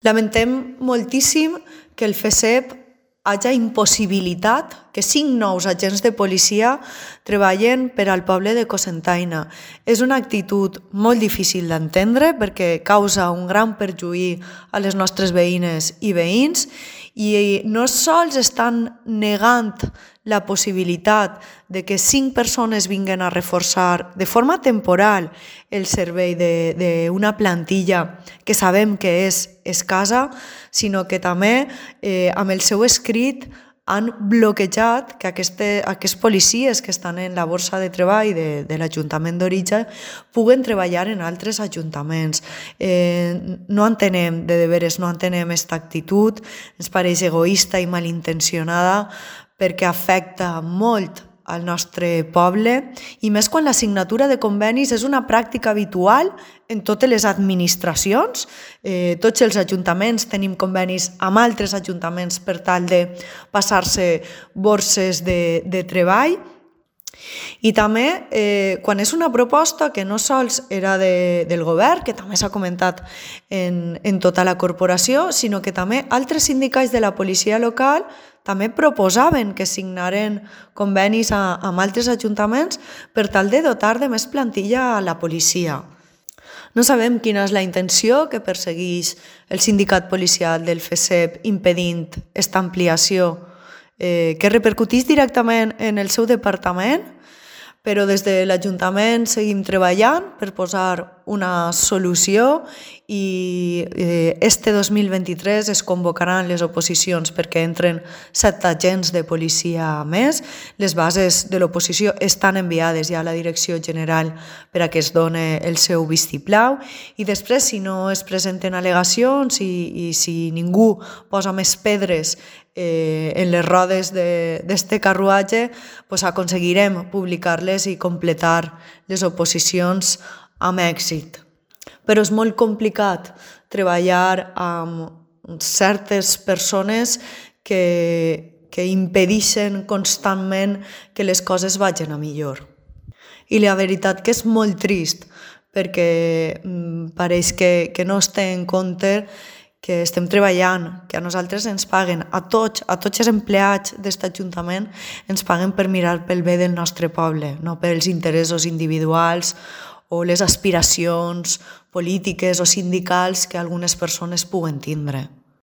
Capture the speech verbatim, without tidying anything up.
Lamentem moltíssim que el FESEP hagi impossibilitat que cinc nous agents de policia treballen per al poble de Cocentaina. És una actitud molt difícil d'entendre perquè causa un gran perjuí a les nostres veïnes i veïns i no sols estan negant la possibilitat de que cinc persones vinguen a reforçar de forma temporal el servei d'una plantilla que sabem que és escassa, sinó que també eh, amb el seu escrit han bloquejat que aquestes, aquests policies que estan en la borsa de treball de, de l'Ajuntament d'Orissa puguen treballar en altres ajuntaments. Eh, no entenem, de deberes, no entenem aquesta actitud, ens pareix egoista i malintencionada perquè afecta molt al nostre poble i més quan la signatura de convenis és una pràctica habitual en totes les administracions. Eh, tots els ajuntaments tenim convenis amb altres ajuntaments per tal de passar-se borses de, de treball. I també, eh, quan és una proposta que no sols era de, del govern, que també s'ha comentat en, en tota la corporació, sinó que també altres sindicats de la policia local també proposaven que signaren convenis a, amb altres ajuntaments per tal de dotar de més plantilla a la policia. No sabem quina és la intenció que persegueix el sindicat policial del FESEP impedint aquesta ampliació eh, que repercuteix directament en el seu departament, però des de l'Ajuntament seguim treballant per posar una solució i eh, este dos mil vint-i-tres es convocaran les oposicions perquè entren set agents de policia més. Les bases de l'oposició estan enviades ja a la Direcció General per a que es doni el seu vistiplau i després, si no es presenten al·legacions i, i si ningú posa més pedres Eh, en les rodes d'aquest carruatge, pues aconseguirem publicar-les i completar les oposicions amb èxit. Però és molt complicat treballar amb certes persones que, que impedeixen constantment que les coses vagin a millor. I la veritat que és molt trist perquè mm, pareix que, que no es té en compte que estem treballant, que a nosaltres ens paguen, a tots, a tots els empleats d'aquest Ajuntament, ens paguen per mirar pel bé del nostre poble, no pels interessos individuals o les aspiracions polítiques o sindicals que algunes persones puguen tindre.